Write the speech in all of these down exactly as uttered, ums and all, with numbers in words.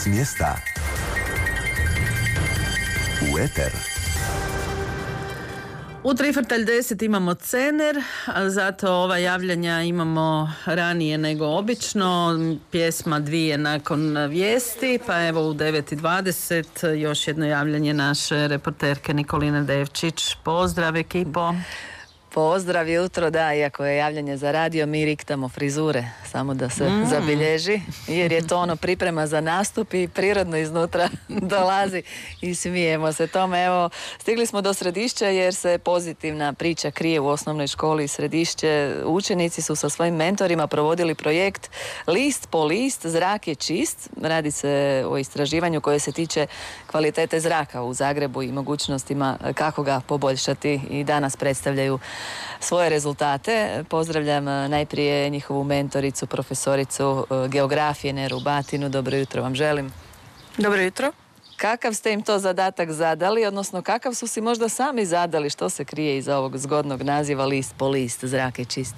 S mjesta u eter. U Trifartalj deset imamo Cener, a zato ova javljanja imamo ranije nego obično. Pjesma dvije nakon vijesti, pa evo u devet i dvadeset još jedno javljanje naše reporterke Nikoline Devčić. Pozdrav ekipo. Pozdrav, jutro, da, iako je javljanje za radio, mi riktamo frizure, samo da se mm. zabilježi, jer je to ono priprema za nastup i prirodno iznutra dolazi i smijemo se tome. Evo, stigli smo do Središća jer se pozitivna priča krije u osnovnoj školi Središće. Učenici su sa svojim mentorima provodili projekt List po list, zrak je čist. Radi se o istraživanju koje se tiče kvalitete zraka u Zagrebu i mogućnostima kako ga poboljšati, i danas predstavljaju svoje rezultate. Pozdravljam najprije njihovu mentoricu, profesoricu geografije Neru Batinu. Dobro jutro vam želim. Dobro jutro. Kakav ste im to zadatak zadali, odnosno kakav su si možda sami zadali, što se krije iza ovog zgodnog naziva List po list, zrak je čist?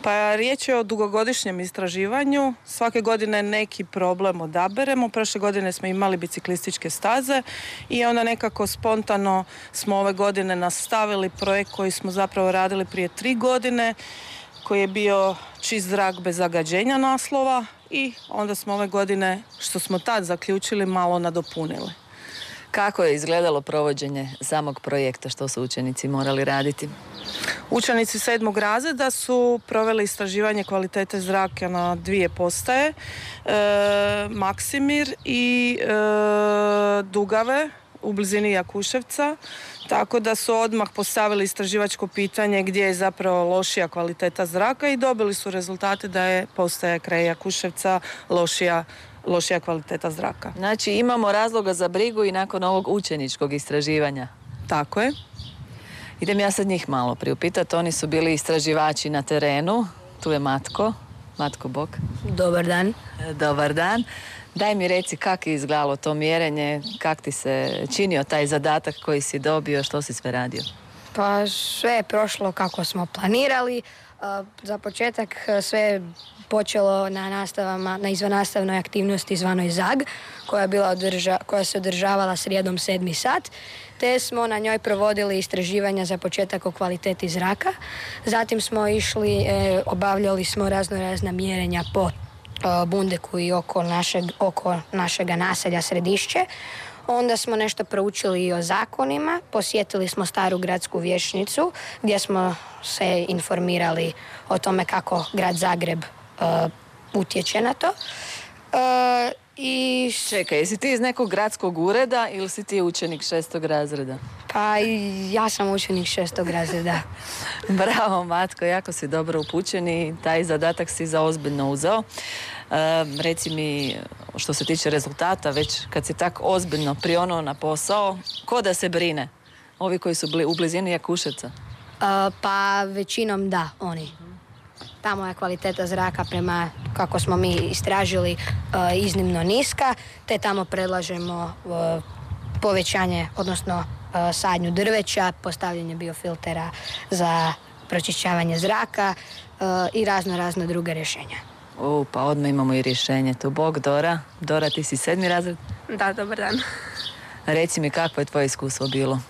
Pa riječ je o dugogodišnjem istraživanju. Svake godine neki problem odaberemo. Prošle godine smo imali biciklističke staze i onda nekako spontano smo ove godine nastavili projekt koji smo zapravo radili prije tri godine, koji je bio čist zrak bez zagađenja naslova, i onda smo ove godine, što smo tad zaključili, malo nadopunili. Kako je izgledalo provođenje samog projekta, što su učenici morali raditi? Učenici sedmog razreda su proveli istraživanje kvalitete zraka na dvije postaje, e, Maksimir i e, Dugave u blizini Jakuševca, tako da su odmah postavili istraživačko pitanje gdje je zapravo lošija kvaliteta zraka i dobili su rezultate da je postaja kraj Jakuševca lošija lošija kvaliteta zraka. Znači imamo razloga za brigu i nakon ovog učeničkog istraživanja. Tako je. Idem ja sad njih malo priupitati. Oni su bili istraživači na terenu. Tu je Matko. Matko, bok. Dobar dan. Dobar dan. Daj mi reci kako je izgledalo to mjerenje, kak ti se činio taj zadatak koji si dobio, što si sve radio? Pa sve je prošlo kako smo planirali. Za početak sve je počelo na nastavama, na izvannastavnoj aktivnosti zvanoj ZAG, koja je bila održa, koja se održavala srijedom sedmi sat, te smo na njoj provodili istraživanja za početak o kvaliteti zraka. Zatim smo išli, e, obavljali smo razno razna mjerenja po e, Bundeku i oko našeg, oko našega naselja Središće. Onda smo nešto proučili i o zakonima, posjetili smo staru gradsku vijećnicu gdje smo se informirali o tome kako grad Zagreb uh, utječe na to. Uh, i... Čekaj, jesi ti iz nekog gradskog ureda ili si ti učenik šestog razreda? Pa ja sam učenik šestog razreda. Bravo, Matko, jako si dobro upućen i taj zadatak si zaozbiljno uzeo. E, reci mi, što se tiče rezultata, već kad si tak ozbiljno prionuo na posao, ko da se brine? Ovi koji su bli u blizini Jakuševca? Uh, pa većinom da, oni. Tamo je kvaliteta zraka, prema kako smo mi istražili, uh, iznimno niska, te tamo predlažemo uh, povećanje, odnosno uh, sadnju drveća, postavljanje biofiltera za pročišćavanje zraka uh, i razno razno druge rješenja. U, pa odmah imamo i rješenje tu. Bog, Dora. Dora, ti si sedmi razred? Da, dobar dan. Reci mi, kakvo je tvoje iskustvo bilo?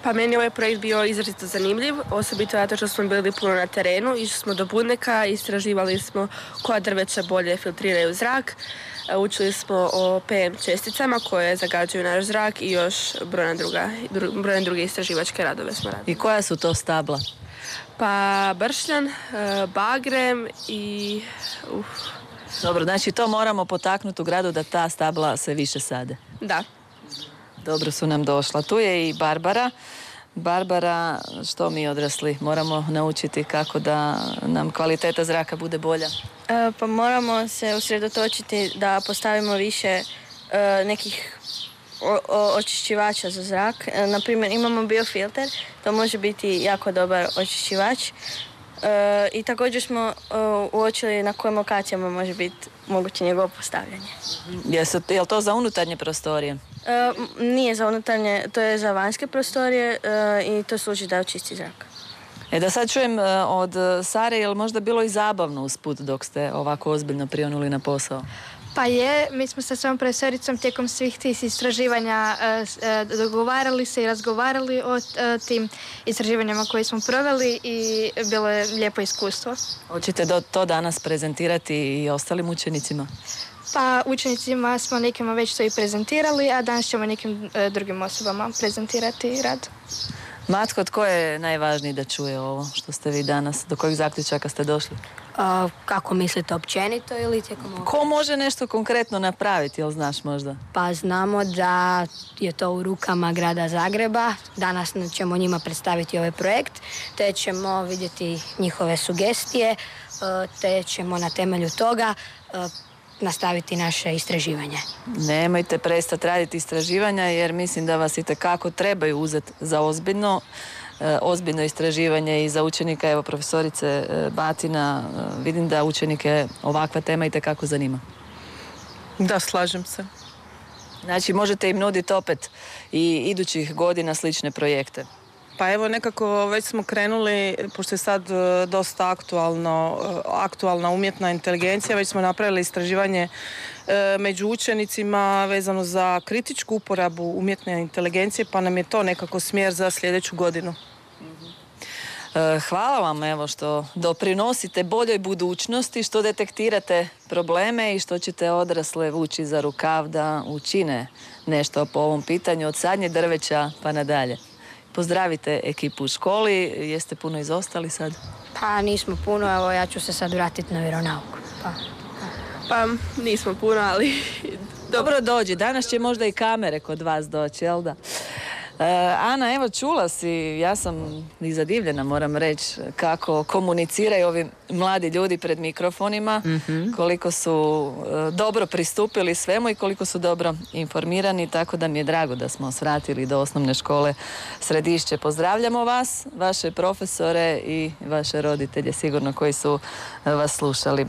Pa meni ovaj projekt bio izrazito zanimljiv, osobito zato što smo bili puno na terenu, išli smo do Bundeka, istraživali smo koja drveća bolje filtriraju zrak, učili smo o P M česticama koje zagađuju naš zrak i još brojne druga, brojne druge istraživačke radove smo radili. I koja su to stabla? Pa bršljan, bagrem i... Uf. Dobro, znači to moramo potaknuti u gradu da ta stabla se više sade. Da. Dobro su nam došla. Tu je i Barbara. Barbara, što mi odrasli moramo naučiti kako da nam kvaliteta zraka bude bolja? E, pa moramo se usredotočiti da postavimo više e, nekih o, o, očišćivača za zrak. E, naprimjer, imamo biofilter, to može biti jako dobar očišćivač. E, I također smo e, uočili na kojim lokacijama može biti moguće njegovo postavljanje. Jesu, je li to za unutarnje prostorije? E, nije za unutarnje, to je za vanjske prostorije e, i to služi da očisti zrak. E da sad čujem od Sare, je li možda bilo i zabavno usput dok ste ovako ozbiljno prionuli na posao? Pa je, mi smo sa svojom profesoricom tijekom svih tih istraživanja uh, dogovarali se i razgovarali o uh, tim istraživanjima koje smo proveli i bilo je lijepo iskustvo. Hoćete do, to danas prezentirati i ostalim učenicima? Pa učenicima smo nekima već to i prezentirali, a danas ćemo nekim uh, drugim osobama prezentirati rad. Matko, tko je najvažniji da čuje ovo što ste vi danas? Do kojih zaključaka ste došli? Uh, kako mislite, općenito ili tijekom ovog? Ko može nešto konkretno napraviti, jel znaš možda? Pa znamo da je to u rukama grada Zagreba. Danas ćemo njima predstaviti ovaj projekt, te ćemo vidjeti njihove sugestije, uh, te ćemo na temelju toga uh, nastaviti naše istraživanje. Nemojte prestati raditi istraživanja jer mislim da vas itekako trebaju uzeti za ozbiljno. E, ozbiljno istraživanje i za učenika, evo profesorice e, Batina, e, vidim da učenike ovakva tema itekako zanima. Da, slažem se. Znači možete im nuditi opet i idućih godina slične projekte. Pa evo nekako već smo krenuli, pošto je sad e, dosta aktualno, e, aktualna umjetna inteligencija, već smo napravili istraživanje e, među učenicima vezano za kritičku uporabu umjetne inteligencije, pa nam je to nekako smjer za sljedeću godinu. E, hvala vam evo što doprinosite boljoj budućnosti, što detektirate probleme i što ćete odrasle vući za rukav da učine nešto po ovom pitanju od sadnje drveća pa nadalje. Pozdravite ekipu u školi, jeste puno izostali sad? Pa nismo puno, evo ja ću se sad vratiti na vjeronauku. Pa, Pa nismo puno, ali... Dobro dođi, danas će možda i kamere kod vas doći, jel da? E, Ana, evo čula si, ja sam i zadivljena moram reći kako komuniciraju ovi mladi ljudi pred mikrofonima, mm-hmm. koliko su e, dobro pristupili svemu i koliko su dobro informirani, tako da mi je drago da smo svratili do osnovne škole Središće. Pozdravljamo vas, vaše profesore i vaše roditelje sigurno koji su e, vas slušali. E,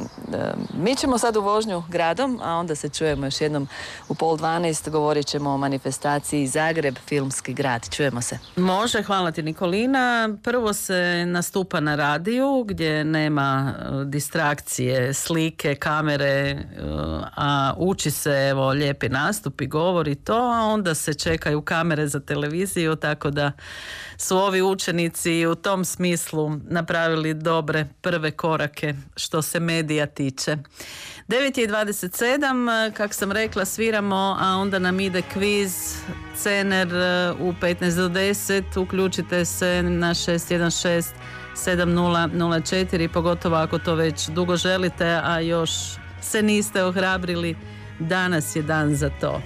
mi ćemo sad u vožnju gradom, a onda se čujemo još jednom u pol dvanaest, govorit ćemo o manifestaciji Zagreb, filmski grad. Čujemo se. Može, hvala ti Nikolina. Prvo se nastupa na radiju gdje nema uh, distrakcije, slike, kamere, uh, a uči se evo lijepi nastup i govori to, a onda se čekaju kamere za televiziju, tako da su ovi učenici u tom smislu napravili dobre prve korake što se medija tiče. devet je i dvadeset sedam, kak sam rekla, sviramo, a onda nam ide kviz Cener u petnaest do deset. Uključite se na šest jedan šest sedam nula nula četiri, pogotovo ako to već dugo želite, a još se niste ohrabrili. Danas je dan za to.